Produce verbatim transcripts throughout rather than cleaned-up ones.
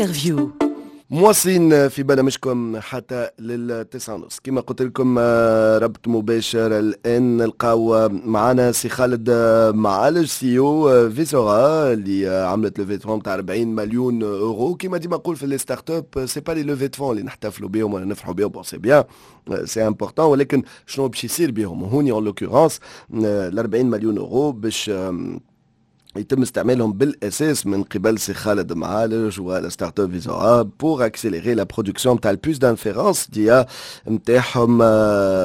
Interview. مواصلين في برنامجكم حتى للتسعة ونص. كما قلت لكم، آه، ربط مباشر الآن، نلقاو معنا سي خالد معالج، CEO Visora، اللي عملت levée de fonds تاع أربعين مليون اورو. كما ديما نقول في les startups، c'est pas les levées de fonds اللي نحتفلوا بهم ولا نفرحوا بهم. bon، c'est bien، c'est important، ولكن شنو باش يصير بهم؟ هوني en l'occurrence ال أربعين مليون اورو باش يتم استعمالهم بالاساس من قبل سي خالد معالج ولا startup Visora pour accélérer la production تاع ال puces d'inférence d'IA نتاعهم.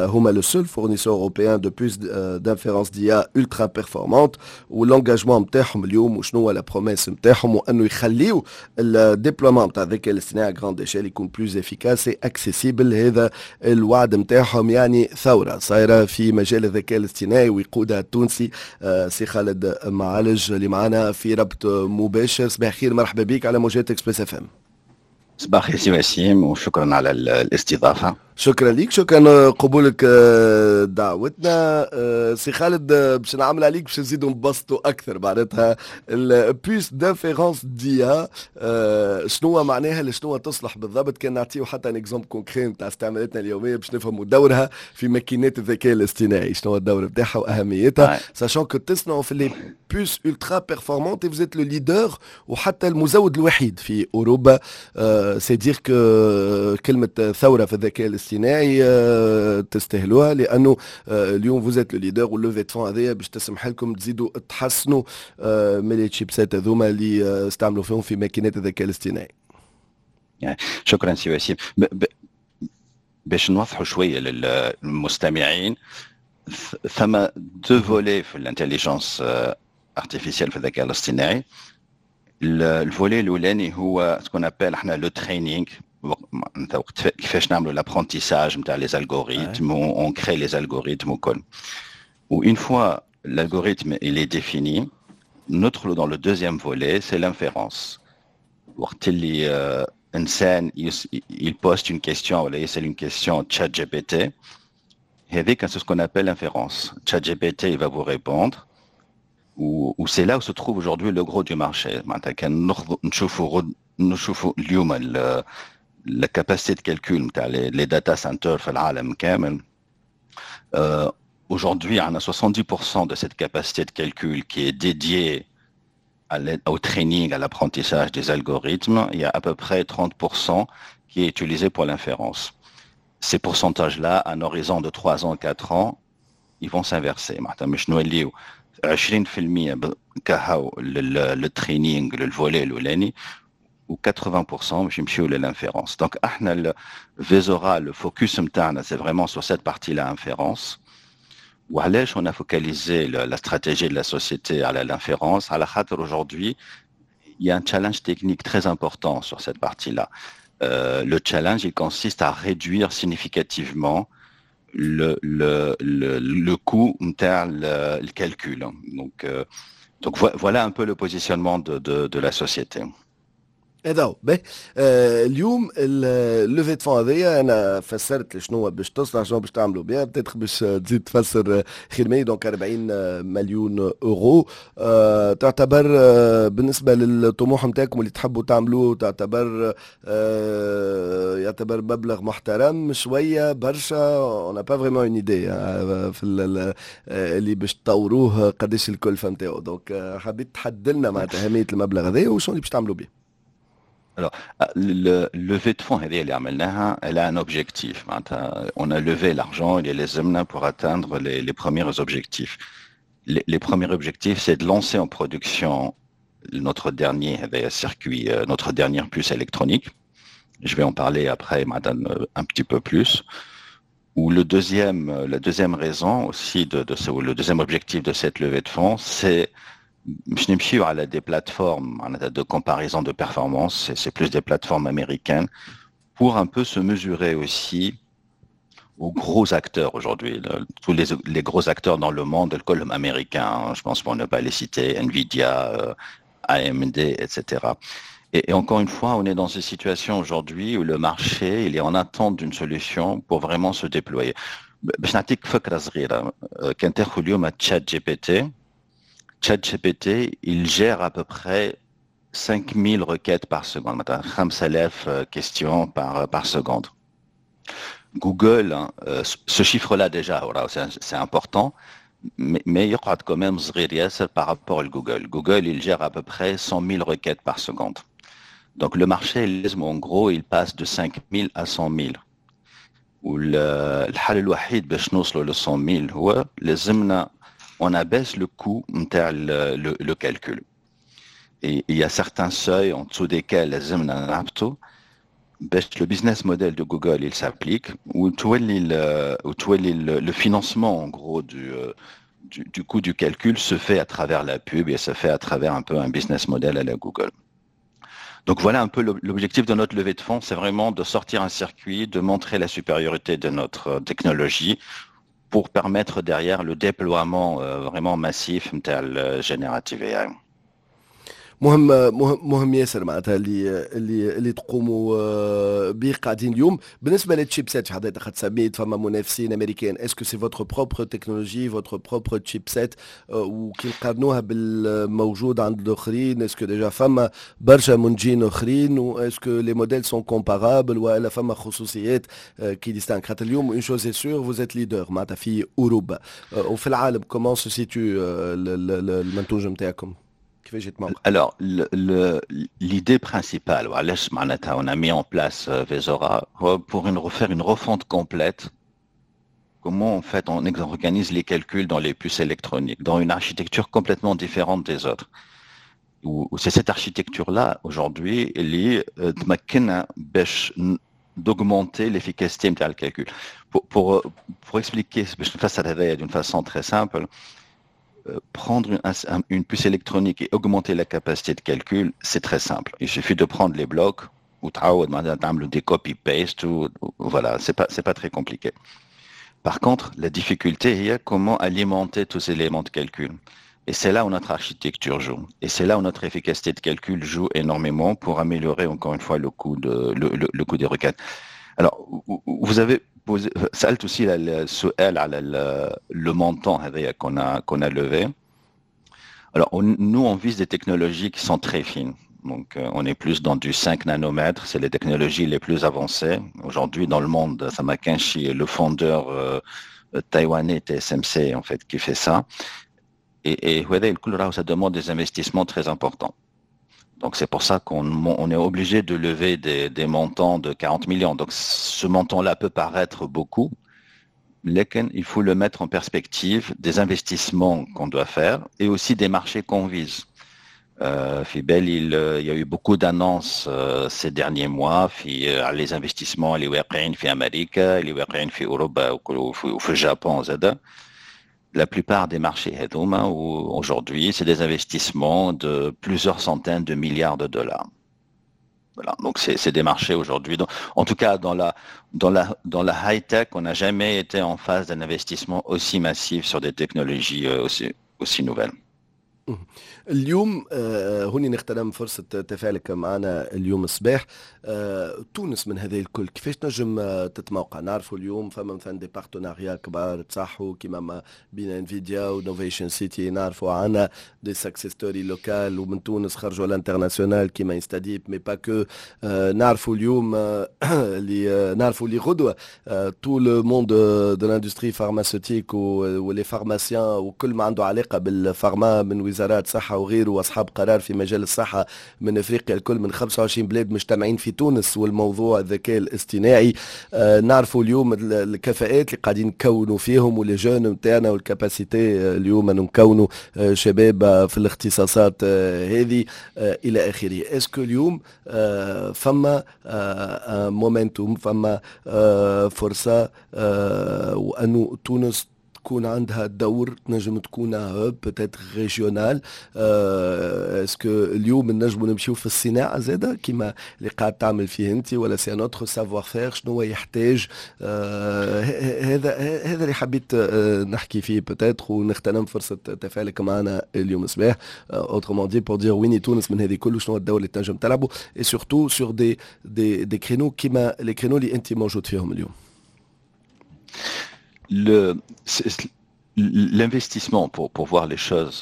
هما le seul fournisseur européen de puces d'inférence d'IA ultra performantes. و l'engagement نتاعهم اليوم وشنو هو la promesse نتاعهم؟ وانه يخليو ال déploiement نتاع الذكاء الاصطناعي à grande échelle يكون plus efficace et accessible. هذا الوعد نتاعهم، يعني ثورة صايرة في مجال الذكاء الاصطناعي ويقودها التونسي سي خالد معالج اللي معنا في ربط مباشر. صباح الخير، مرحبا بك على موجات Express FM. صباح الخير سي وسيم وشكرا على الاستضافه. شكرا لك، شكرا قبولك آه، دعوتنا. آه، سي خالد، آه، باش نعمل عليك باش نزيدوا نبسطوا اكثر، معناتها ال puce d'inférence d'IA شنو معناها؟ لشنو تصلح بالضبط؟ كان نعطيو حتى un exemple concret نتاع استعمالاتنا اليومية باش نفهموا دورها في ماكينات الذكاء الاصطناعي، شنو هو الدور نتاعها واهميتها، sachant que تصنعوا في les puces ultra performantes، vous êtes le leader وحتى المزود الوحيد في اوروبا. c'est dire que كلمة ثورة في الذكاء الاصطناعي آه، تستاهلوها، لانه آه، اليوم vous êtes le leader، وال levée de fonds هذيا باش تسمح لكم تزيدوا تحسنوا آه، من les chipsets هذوما اللي استعملوا فيهم في ماكينات الذكاء الاصطناعي. شكرا سي وسيم. باش نوضحوا شوية للمستمعين، ثم deux volets في l'intelligence artificielle، في الذكاء الاصطناعي. ال volet الاولاني هو ce qu'on appelle احنا le training، وقت كيفاش نعملوا l'apprentissage نتاع les algorithmes، on crée les algorithmes وكل. و une fois l'algorithme il est défini، ندخلوا dans le deuxième volet، c'est l'inférence، وقت اللي انسان il poste une question ولا يسال une question ChatGPT، هذيك c'est ce qu'on appelle l'inférence. ChatGPT il va vous répondre، و c'est là où se trouve aujourd'hui le gros du marché. معناتها كان نشوفوا نشوفوا اليوم la capacité de calcul نتاع les data centers في العالم كامل، euh, aujourd'hui on a soixante-dix pour cent de cette capacité de calcul qui est dédiée à au training, à l'apprentissage des algorithmes. Il y a à peu près trente pour cent qui est utilisé pour l'inférence. Ces pourcentages-là, à un horizon de trois ans, quatre ans, ils vont s'inverser. معناتها مش نوليو عشرين في المية كهو لل training، لل volet الاولاني، و quatre-vingts pour cent باش يمشيو لل inférence. donc احنا Visora، le focus نتاعنا c'est vraiment sur cette partie-là، inférence. وعلاش on a focalisé la stratégie de la société على l'inférence؟ على خاطر aujourd'hui il y a un challenge technique très important sur cette partie-là. Euh, le challenge, il consiste à réduire significativement le, le, le, le coût نتاع le, le calcul. Donc, euh, donc voilà un peu le positionnement de, de, de la société. هذا هو. باهي، آه اليوم ال levée de fonds هذيا انا فسرت شنو باش تصلح، شنو باش تعملوا بها، peut-être باش تزيد تفسر خير مني. donc أربعين مليون اورو آه تعتبر آه بالنسبة للطموح نتاعكم اللي تحبوا تعملوه، تعتبر آه يعتبر مبلغ محترم، شويه، برشا؟ on n'a pas vraiment une idée في اللي باش تطوروه قداش الكلفة نتاعو. donc حبيت تحدد لنا معناتها اهمية المبلغ هذا وشنو اللي باش تعملوا به. Alors, le levée de fonds هذه اللي عملناها، elle a un objectif. On a levé l'argent اللي لازمنا pour atteindre les, les premiers objectifs. Les, les premiers objectifs, c'est de lancer en production notre dernier circuit, notre dernière puce électronique. Je vais en parler après معناتها un petit peu plus. و le deuxième, la deuxième raison aussi de, de ce, le deuxième objectif de cette levée de fonds, c'est باش نمشيو على des plateformes de comparaison de performance, c'est plus des plateformes américaines, pour un peu se mesurer aussi aux gros acteurs aujourd'hui, tous les, les gros acteurs dans le monde, الكل américains, je pense pour ne pas les citer, Nvidia, A M D, et cetera. Et, et encore une fois, on est dans une situation aujourd'hui où le marché il est en attente d'une solution pour vraiment se déployer. باش نعطيك فكرة صغيرة، كان تاخذ اليوم ChatGPT، ChatGPT, il gère à peu près cinq mille requêtes par seconde, cinq mille questions par, par seconde. Google, hein, euh, ce chiffre-là déjà, voilà, c'est important, mais, mais il y aura quand même par rapport à Google. Google, il gère à peu près cent mille requêtes par seconde. Donc le marché, en gros, il passe de cinq mille à cent mille. والحل الوحيد باش نوصلوا ل cent mille هو لازمنا on abaisse le coût نتاع le, le calcul. Et il y a certains seuils en dessous desquels لازمنا نهبطوا باش le business model de Google il s'applique وتولي le, وتولي le, le financement en gros du, du, du coût du calcul se fait à travers la pub et se fait à travers un peu un business model à la Google. Donc voilà un peu l'objectif de notre levée de fonds, c'est vraiment de sortir un circuit, de montrer la supériorité de notre technologie pour permettre derrière le déploiement euh, vraiment massif نتاع Generative A I. مهم مهم مهم ياسر معناتها اللي اللي اللي تقوموا آه، به قاعدين اليوم. بالنسبه لل chipset، حضرتك خاطر سميت فما منافسين امريكان، est-ce que c'est votre propre technologie, votre propre chipset؟ وكي نقارنوها بالموجود عند الاخرين، est-ce que déjà فما برشا منتجين اخرين و est-ce que les modèles sont comparables والا فما خصوصيات qui distinguent؟ خاطر اليوم une chose est sûre, vous êtes leader معناتها في اوروبا وفي العالم. Comment se situe المنتوج نتاعكم؟ Alors, l'idée principale, on a mis en place euh, Vesora pour une, refaire une refonte complète. Comment en fait on organise les calculs dans les puces électroniques, dans une architecture complètement différente des autres. C'est cette architecture-là, aujourd'hui, اللي تمكنا باش d'augmenter l'efficacité du calcul. Pour, pour, pour expliquer d'une façon très simple, euh, prendre une, une, puce électronique et augmenter la capacité de calcul, c'est très simple. Il suffit de prendre les blocs ou des copy-paste, ou, voilà, c'est pas, c'est pas très compliqué. Par contre, la difficulté est comment alimenter tous ces éléments de calcul. Et c'est là où notre architecture joue. Et c'est là où notre efficacité de calcul joue énormément pour améliorer encore une fois le coût, de, le, le, le coût des requêtes. Alors, vous avez posé, سألت aussi السؤال على le montant qu'on a, qu'on a levé. Alors, on, nous, on vise des technologies qui sont très fines. Donc, euh, on est plus dans du cinq nanomètres, c'est les technologies les plus avancées. Aujourd'hui, dans le monde, ثما كان le fondeur euh, taïwanais T S M C, en fait, qui fait ça. Et, et ça demande des investissements très importants. Donc c'est pour ça qu'on on est obligé de lever des, des, montants de quarante millions. Donc ce montant-là peut paraître beaucoup, mais il faut le mettre en perspective des investissements qu'on doit faire et aussi des marchés qu'on vise. Euh, في بالي il y a eu beaucoup d'annonces euh, ces derniers mois في على les investissements اللي واقعين في امريكا، اللي واقعين في اوروبا وفي اليابان زاده. La plupart des marchés هذوما aujourd'hui, c'est des investissements de plusieurs centaines de milliards de dollars. Voilà, donc c'est des marchés aujourd'hui. En tout cas, dans la, dans la, dans la high-tech, on n'a jamais été en phase d'un investissement aussi massif sur des technologies euh, aussi, aussi nouvelles. اليوم آه، هوني نغتنم فرصة تفاعلك معنا اليوم الصباح. آه، تونس من هذه الكل كيفاش تنجم آه، تتموقع؟ نعرفوا اليوم فما مثلا des partenariats كبار تصحوا كيما ما بين Nvidia و Innovation City، نعرفوا عنا des success stories locales ومن تونس خرجوا l'international كيما InstaDeep, mais pas que. نعرفوا اليوم اللي نعرفوا اللي غدوه tout le monde de l'industrie pharmaceutique و les pharmaciens وكل ما عنده علاقه بال pharma من وزارات صحه وغيره واصحاب قرار في مجال الصحه من افريقيا الكل، من خمسة وعشرين بلاد، مجتمعين في تونس والموضوع الذكاء الاصطناعي. آه نعرفوا اليوم الكفاءات اللي قاعدين نكونوا فيهم و les jeunes نتاعنا وال capacité اليوم انه نكونوا آه، شباب في الاختصاصات آه، هذه آه، الى اخره. Est-ce que اليوم آه، فما momentum، فما فرصه وانه تونس تكون عندها دور، تنجم تكون hub peut-être régional؟ Est-ce que اليوم نجموا نمشيو في الصناعه زاده كيما اللي قاعد تعمل فيه انت ولا c'est un autre savoir-faire؟ شنو هو يحتاج؟ آه هذا هذا اللي حبيت آه نحكي فيه peut-être ونغتنم فرصه تفاعلك معنا اليوم الصباح. Autrement dit, pour dire وين تونس من هذه كل، شنو الدور اللي تنجم تلعبه et surtout sur des des des créneaux كيما les créneaux اللي انت موجود فيهم اليوم. Le, L'investissement pour, pour voir les choses,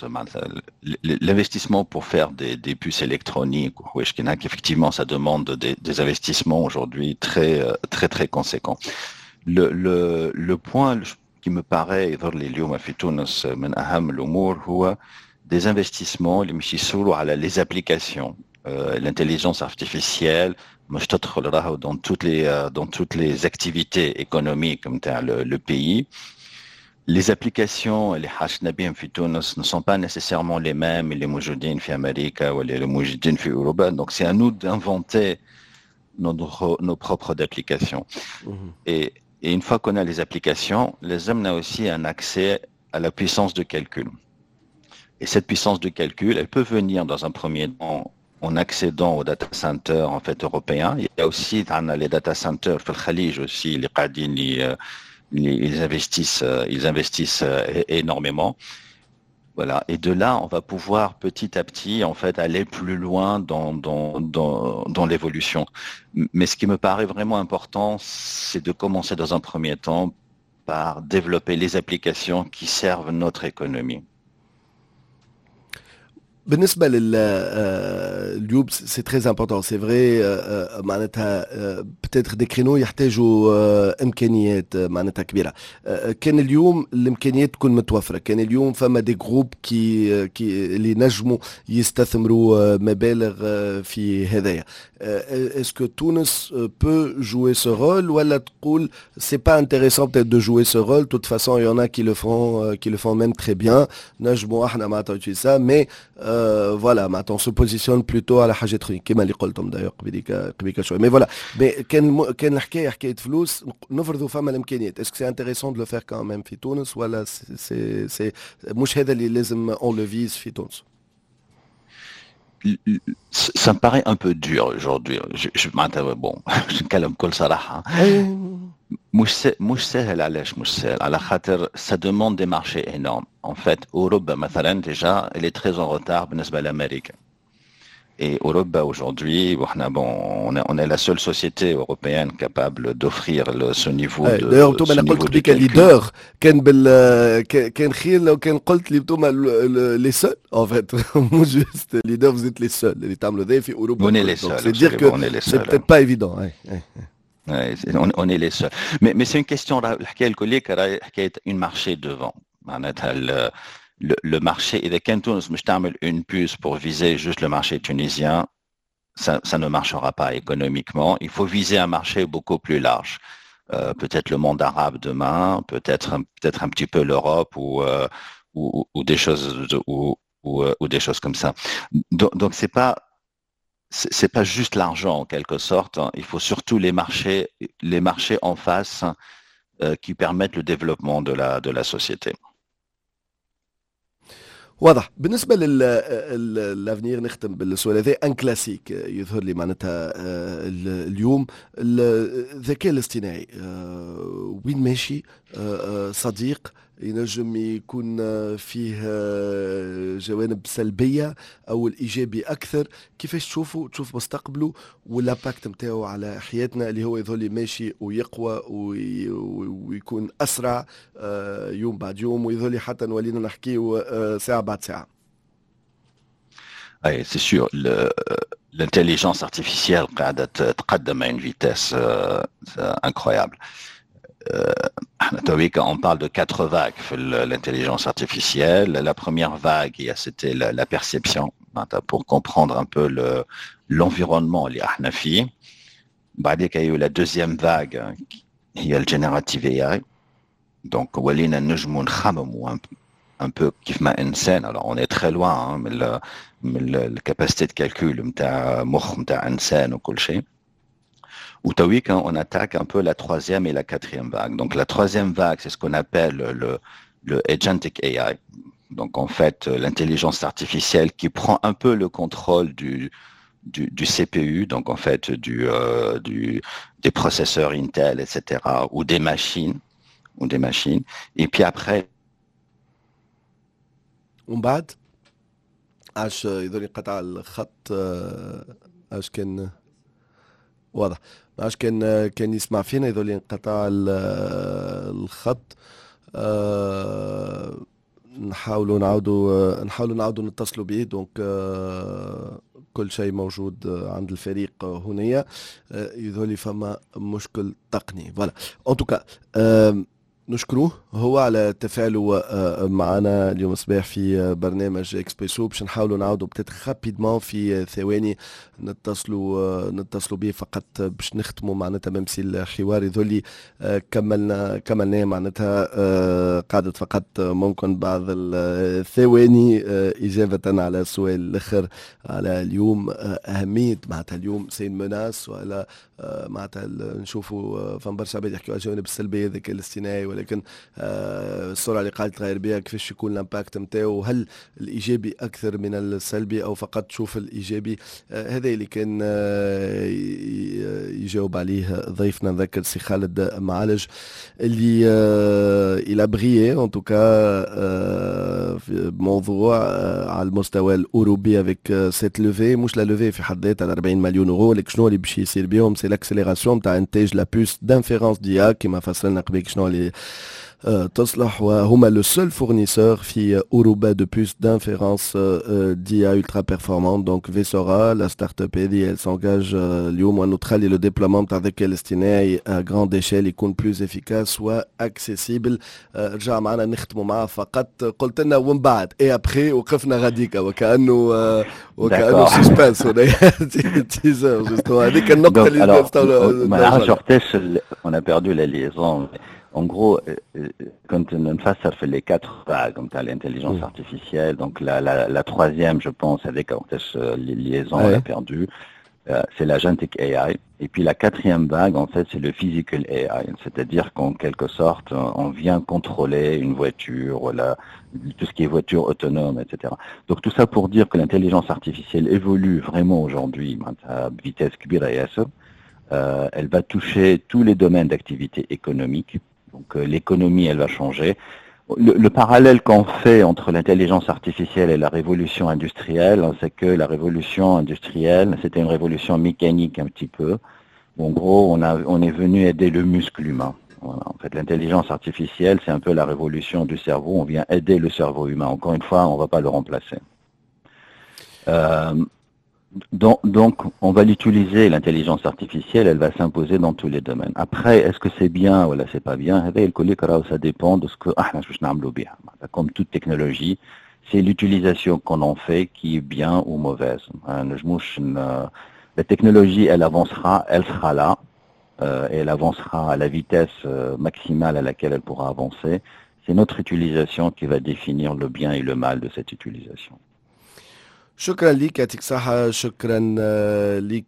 l'investissement pour faire des, des puces électroniques, effectivement, ça demande des, des investissements aujourd'hui très, très, très conséquents. Le, le, le point qui me paraît يظهر لي اليوم في تونس من أهم الأمور هو des investissements اللي مش يصيروا على les applications, euh, l'intelligence artificielle مش تدخل راهو dans toutes les dans toutes les activités économiques نتاع le, le pays. Les applications اللي حاجتنا بهم في تونس ne sont pas nécessairement les mêmes اللي موجودين في امريكا ولا اللي موجودين في اوروبا, donc c'est à nous d'inventer nos, nos propres applications mmh. et, et une fois qu'on a les applications, لازمنا aussi un accès à la puissance de calcul. Et cette puissance de calcul, elle peut venir dans un premier temps en accédant aux data centers en fait européens. Il y a aussi les data centers في الخليج aussi اللي قاعدين ils investissent, ils investissent énormément. Voilà. Et de là, on va pouvoir petit à petit, en fait, aller plus loin dans, dans, dans, dans l'évolution. Mais ce qui me paraît vraiment important, c'est de commencer dans un premier temps par développer les applications qui servent notre économie. بالنسبه لل اليوم, c'est très important, c'est vrai, معناتها peut-être des créneaux يحتاجوا امكانيات معناتها كبيره. كان اليوم الامكانيات تكون متوفره, كان اليوم فما des groupes qui qui اللي نجموا يستثمروا مبالغ في هذايا, est-ce que تونس peut jouer ce rôle ولا تقول c'est pas intéressant peut-être de jouer ce rôle, de toute façon il y en a qui le font, qui le font même très bien, نجموا احنا معناتها ça, mais voilà, معناتها on se positionne plutôt على حاجات اخرين كما اللي قلتم d'ailleurs قبيليك قبيلك شويه, mais voilà, mais كان كان الحكايه حكايه فلوس, نفرضوا فما الامكانيات, est-ce que c'est intéressant de le faire quand même في تونس ولا c'est c'est مش هذا اللي لازم on le vise في تونس؟ Ça me paraît un peu dur aujourd'hui. Je, je, bon, نتكلم بكل صراحة. مش مش سهل. علاش مش سهل؟ على خاطر ça demande des marchés énormes. En fait, أوروبا مثلا déjà elle est très en retard بالنسبة لأمريكا. Et أوروبا aujourd'hui, bon, on est, on est la seule société européenne capable d'offrir ce niveau de D'ailleurs, انتم انا قلت بك leader كان بال كان خير لو كان قلت لي انتم les seuls en fait, مش juste leader, vous êtes les seuls اللي تعملوا ذا في اوروبا. On est les seuls. C'est dire que c'est peut-être pas évident. Ouais, on, on est les seuls. Mais, mais c'est une question, الحكاية الكل حكاية une marché devant. معناتها le, le marché, إذا كان تونس مش تعمل une puce pour viser juste le marché tunisien, ça, ça ne marchera pas économiquement. Il faut viser un marché beaucoup plus large. Euh, peut-être le monde arabe demain, peut-être peut-être un petit peu l'Europe ou, euh, ou, ou, des choses ou, ou, ou des choses comme ça. Donc, donc c'est pas c'est pas juste l'argent en quelque sorte. Il faut surtout les marchés, les marchés en face euh, qui permettent le développement de la de la société. واضح. بالنسبه لل l'avenir, نختم بالسؤال هذا, un classique يظهر لي معناتها آه، اليوم الذكاء الاصطناعي آه، وين ماشي؟ آه، صديق ينجم يكون فيه جوانب سلبيه او الايجابي اكثر, كيفاش تشوفوا تشوف مستقبله وال impact نتاعو على حياتنا اللي هو يظل ماشي ويقوى ويكون اسرع يوم بعد يوم ويظل حتى نولينا نحكيو ساعه بعد ساعه؟ Oui, c'est sûr. L'intelligence artificielle قاعدة تقدم à une vitesse euh, incroyable. Euh, on parle de quatre vagues l'intelligence artificielle. La première vague, c'était la, la perception, pour comprendre un peu l'environnement اللي احنا فيه. بعديك il y a eu la deuxième vague, هي ال generative A I. Donc ولينا نجموا نخمموا un peu كيف ما انسان. Alors on est très loin, hein, من من ال capacité de calcul نتاع مخ نتاع انسان وكل شيء. وتويكا on attaque un peu la troisième et la quatrième vague. Donc la troisième vague, c'est ce qu'on appelle le, le agentic A I. Donc en fait, l'intelligence artificielle qui prend un peu le contrôle du, du, du C P U, donc en fait du, euh, du, des processeurs Intel, et cetera, ou des machines, ou des machines. Et puis après, ومن بعد عاش يظل قطع الخط عاش كان واضح ما عادش كان كان يسمع فينا, يظل انقطع الخط. آه نحاولوا نعاودوا نحاولوا نعاودوا نتصلوا به. donc كل شيء موجود عند الفريق هنايا، يظهر لي فما مشكل تقني. voilà، en tout cas نشكروه هو على تفاعله آه، معنا اليوم الصباح في برنامج اكسبريسو. باش نحاولوا نعاودوا peut-être rapidement في ثواني نتصلوا آه، نتصلوا به فقط باش نختموا معناتها، même si الحوار يظهر آه، كملنا كملناه معناتها، قعدت فقط ممكن بعض الثواني إجابة على السؤال الآخر على اليوم أهمية معناتها اليوم c'est une menace ولا معناتها نشوفوا فما برشا عباد يحكيوا على الجوانب السلبية الذكاء الاصطناعي، ولكن آه، السرعة اللي قاعدة تغير بها، كيفاش يكون l'impact نتاعو؟ هل الايجابي اكثر من السلبي او فقط تشوف الايجابي؟ آه، هذا اللي كان آه، يجاوب عليه ضيفنا. نذكر سي خالد معالج اللي il a brillé en tout cas في موضوع على المستوى الاوروبي avec cette levée، مش la levée في حد ذاتها أربعين مليون اورو، لكن شنو اللي باش يصير بهم؟ c'est l'accélération تاع انتاج la puce d'inférence d'IA، كما فصلنا قبل شنو اللي تصلح، وهما le seul fournisseur في اوروبا de puces d'inférence d'IA ultra performantes. donc Visora، la startup هذه، elle s'engage اليوم وانه تخلي le déploiement تاع الذكاء الاصطناعي à grande échelle يكون plus efficace و accessible. رجع معنا، نختموا معاه فقط. قلت لنا ومن بعد et après، وقفنا غاديكا وكانه وكانه suspense teaser، هذيك النقطة اللي ما نعرفش وقتاش on a perdu la liaison. En gros, كنت نفسر في les quatre vagues نتاع l'intelligence artificielle. Donc la, la, la troisième, je pense, avec les liaisons, on l'a perdu, euh, c'est l'agentic A I. Et puis la quatrième vague, en fait, c'est le physical A I. C'est-à-dire qu'en quelque sorte, on vient contrôler une voiture, ولا, tout ce qui est voiture autonome, et cetera. Donc tout ça pour dire que l'intelligence artificielle évolue vraiment aujourd'hui à vitesse كبيرة ياسر. Euh, elle va toucher tous les domaines d'activité économique. Donc euh, l'économie, elle va changer. Le, le parallèle qu'on fait entre l'intelligence artificielle et la révolution industrielle, hein, c'est que la révolution industrielle, c'était une révolution mécanique un petit peu. Où en gros, on, a, on est venu aider le muscle humain. Voilà. En fait, l'intelligence artificielle, c'est un peu la révolution du cerveau. On vient aider le cerveau humain. Encore une fois, on ne va pas le remplacer. Euh, donc, donc, on va l'utiliser, l'intelligence artificielle, elle va s'imposer dans tous les domaines. Après, est-ce que c'est bien ولا c'est pas bien؟ هذا الكل ça dépend de ce que احنا باش نعملوا بها. Comme toute technologie, c'est l'utilisation qu'on en fait qui est bien ou mauvaise. La technologie, elle avancera, elle sera là, euh, et elle avancera à la vitesse euh, maximale à laquelle elle pourra avancer. C'est notre utilisation qui va définir le bien et le mal de cette utilisation. شكرا لك، يعطيك صحة. شكرا لك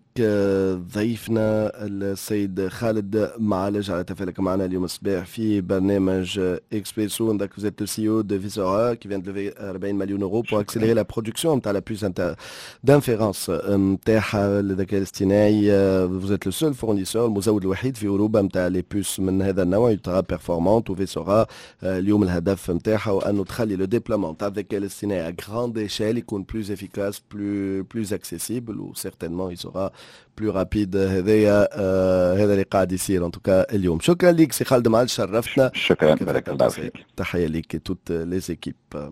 ضيفنا السيد خالد معالج على تفاعلك معنا اليوم الصباح في برنامج اكسبريسو. Donc vous êtes le C E O de Visora qui vient de lever quarante millions d'euros pour accélérer la production نتاع la puce d'inférence نتاعها للذكاء الاصطناعي. vous êtes le seul fournisseur، المزود الوحيد في اوروبا نتاع les puces من هذا النوع ultra performantes. و Visora اليوم الهدف نتاعها هو انه تخلي le déploiement تاع الذكاء الاصطناعي à grande échelle يكون plus efficace، plus plus accessible و certainement il sera plus rapide. هذايا آه هذا اللي قاعد يصير en tout cas اليوم. شكرا لك سي خالد معالج، شرفتنا. شكرا، بارك الله فيك. تحية لك toutes les équipes.